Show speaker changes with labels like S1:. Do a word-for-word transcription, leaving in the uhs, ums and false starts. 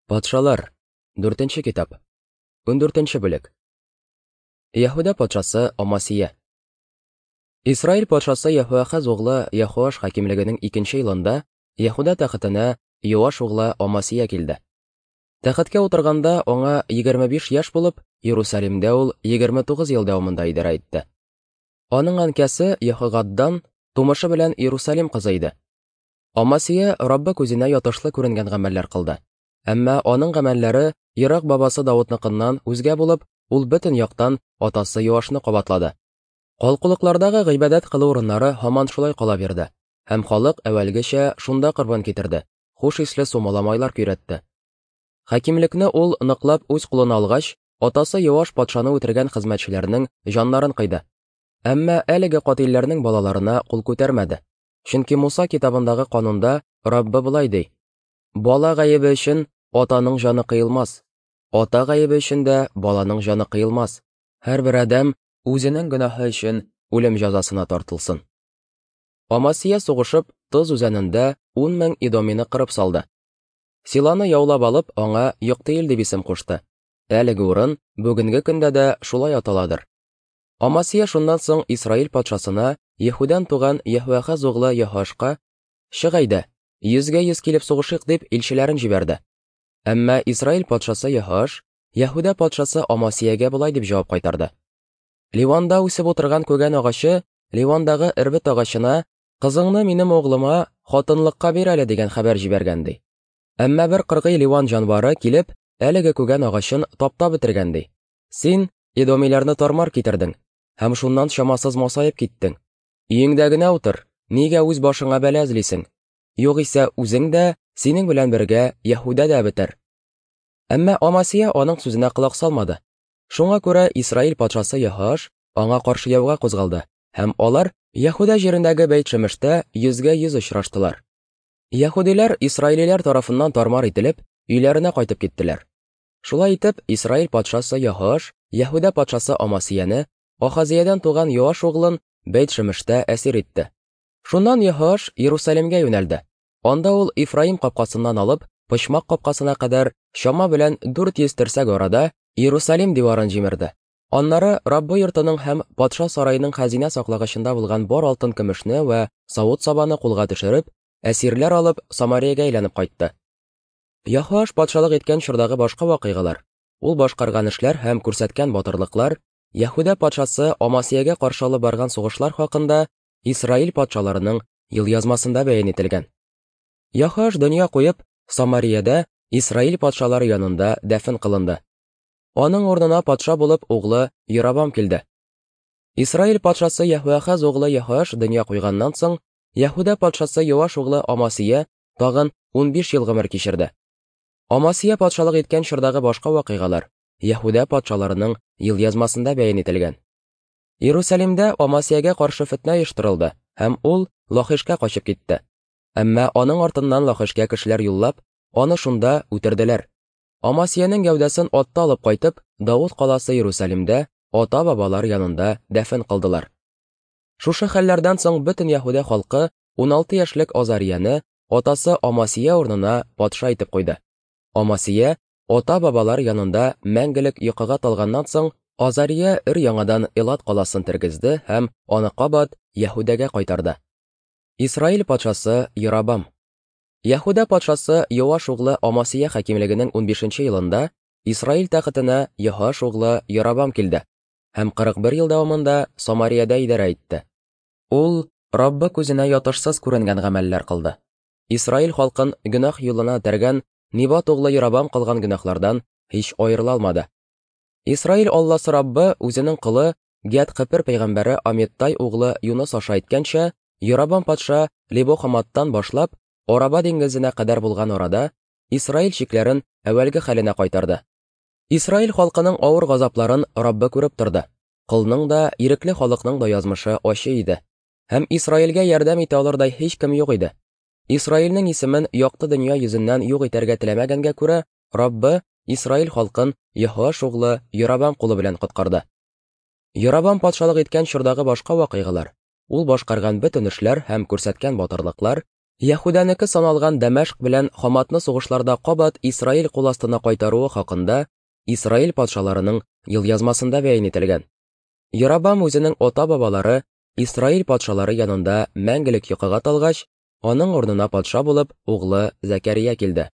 S1: Патшалар, дүртенче китап, ундүртенче бүлек. Яһүдә патшасы Амасия. Исраил патшасы Яһоахаз углы Яһоаш хакимлегенең икенче елында Яһүдә тәхетенә Йоаш углы Амасия килде. Тәхеткә утырганда аңа егерме биш яшь булып, Иерусалимдә ул егерме тугыз ел дәвамында идарә итте. Аның әнкәсе Яһогаддан тумышы белән Иерусалим кызы иде. Амасия Раббы күзенә ятышлы күренгән гамәлләр кылды. Әмма аның гамәлләре ерак бабасы Давытныкыннан үзгә булып, ул бөтен яктан атасы Йоашны кабатлады. Калкулыклардагы гыйбадәт кылу урыннары һаман шулай кала бирде, һәм халык әүвәлгечә шунда корбан китерде, хуш исле сумала майлар көйрәтте. Хакимлекне ул ныклап үз кулына алгач, атасы Йоаш патшаны үтергән хезмәтчеләрнең җаннарын кыйды. Әмма әлеге катилләрнең балаларына кул күтәрмәде. Чөнки Муса китабындагы канунда Раббы болай ди: Бала гаебе өчен атаның җаны кыелмас, ата гаебе өчен дә баланың җаны кыелмас. Һәрбер адәм үзенең гөнаһы өчен үлем җәзасына тартылсын. Амасия сугышып, Тоз үзәнендә ун мең идомины кырып салды. Силаны яулап алып, аңа Йоктыил дип исем кушты. Әлеге урын бүгенге көндә дә шулай аталадыр. Амасия шуннан соң Исраил патшасына Яһүдән туган Яһоахаз углы Яһоашка: "Чык әйдә, йөзгә йөз килеп сугышыйк", дип илчеләрен җибәрде. Әмма Исраил патшасы Яһоаш Яһүдә патшасы Амасиягә болай дип җавап кайтарды: "Ливанда үсеп утырган күгән агачы Ливандагы эрбет агачына: "Кызыңны минем углыма хатынлыкка бир әле", дигән хәбәр җибәргән, ди. Әмма бер кыргый Ливан җанвары килеп, әлеге күгән агачын таптап бетергән, ди. Син идомиләрне тармар китердең һәм шуннан чамасыз масаеп киттең. Өеңдә генә утыр, нигә үз башыңа бәла эзлисең? Югыйсә үзең дә, синең белән бергә Яһүдә дә бетәр." Әмма Амасия аның сүзенә колак салмады. Шуңа күрә Исраил патшасы Яһоаш аңа каршы яуга кузгалды, һәм алар Яһүдә җирендәге Бәйт-Шемештә йөзгә йөз очраштылар. Яһүдиләр исраилиләр тарафыннан тармар ителеп, өйләренә кайтып киттеләр. Шулай итеп, Исраил патшасы Яһоаш Яһүдә патшасы Амасияне, Ахазиядән туган Йоаш углын Бәйт-Шемештә әсир итте. Шуннан Яһоаш Иерусалимгә юнәлде. Анда ул Ифраим капкасыннан алып, Почмак капкасына кадәр чама белән дүрт йөз терсәк арада Иерусалим диварын җимерде. Аннары Раббы йортының һәм патша сараеның хәзинә саклагычында булган бар алтын көмешне вә савыт-сабаны кулга төшереп, әсирләр алып Самариягә әйләнеп кайтты. Яһоаш патшалык иткән чордагы башка вакыйгалар, ул башкарган эшләр һәм күрсәткән батырлыклар, Яһүдә патшасы Амасиягә каршы алып барган сугышлар хакында Исраил патшаларының елъязмасында бәян ителгән. Яһоаш дөнья куеп, Самариядә Исраил патшалары янында дәфен кылынды. Аның урынына патша булып углы Йоробам килде. Исраил патшасы Яһоахаз углы Яһоаш дөнья куйганнан соң, Яһүдә патшасы Йоаш углы Амасия тагын унбиш ел гомер кичерде. Амасия патшалык иткән чордагы башка вакыйгалар Яһүдә патшаларының елъязмасында бәян ителгән. Иерусалимдә Амасиягә каршы фетнә оештырылды, һәм ул Лахишкә качып китте. Әмма аның артыннан Лахишкә кешеләр юллап, аны шунда үтерделәр. Амасиянең гәүдәсен атта алып кайтып, Давыт каласы Иерусалимдә ата-бабалар янында дәфен кылдылар. Шушы хәлләрдән соң бөтен Яһүдә халкы уналты яшьлек Азарияне атасы Амасия урынына патша итеп куйды. Амасия ата-бабалар янында мәңгелек йокыга талганнан соң, Азария өр-яңадан Элат каласын тергезде һәм аны кабат Яһүдәгә кайтарды. Исраил патшасы Йоробам. Яһүдә патшасы Йоаш углы Амасия хакимлегенең унбишенче елында Исраил тәхетенә Йоаш углы Йоробам килде һәм кырык бер ел дәвамында Самариядә идарә итте. Ул Раббы күзенә ятышсыз күренгән гамәлләр кылды. Исраил халкын гөнаһ юлына этәргән Нибат углы Йоробам кылган гөнаһлардан һич аерыла алмады. Исраил Алласы Раббы үзенең колы Гәт-Хепер пәйгамбәре Амиттай углы Юныс аша әйткәнчә, Йоробам патша Лебо-Хаматтан башлап Араба диңгезенә кадәр булган арада Исраил чикләрен әүвәлге хәленә кайтарды. Исраил халкының авыр газапларын Раббы күреп торды. Колның да, ирекле халыкның да язмышы ачы иде. Һәм Исраилгә ярдәм итә алырдай һич кем юк иде. Исраилнең исемен якты дөнья йөзеннән юк итәргә теләмәгәнгә күрә, Раббы Исраил халкын Яһоаш углы Йоробам кулы белән коткарды. Йоробам патшалык иткән чордагы башка вакыйгалар, ул башкарган бөтен эшләр һәм күрсәткән батырлыклар Яһүдәнеке саналган Дәмәшк белән Хаматны сугышларда кабат Исраил кул астына кайтаруы хакында Исраил патшаларының елъязмасында бәян ителгән. Яробам үзенең ата-бабалары Исраил патшалары янында мәңгелек йокыга талгач, аның урынына патша булып углы Зәкәрия килде.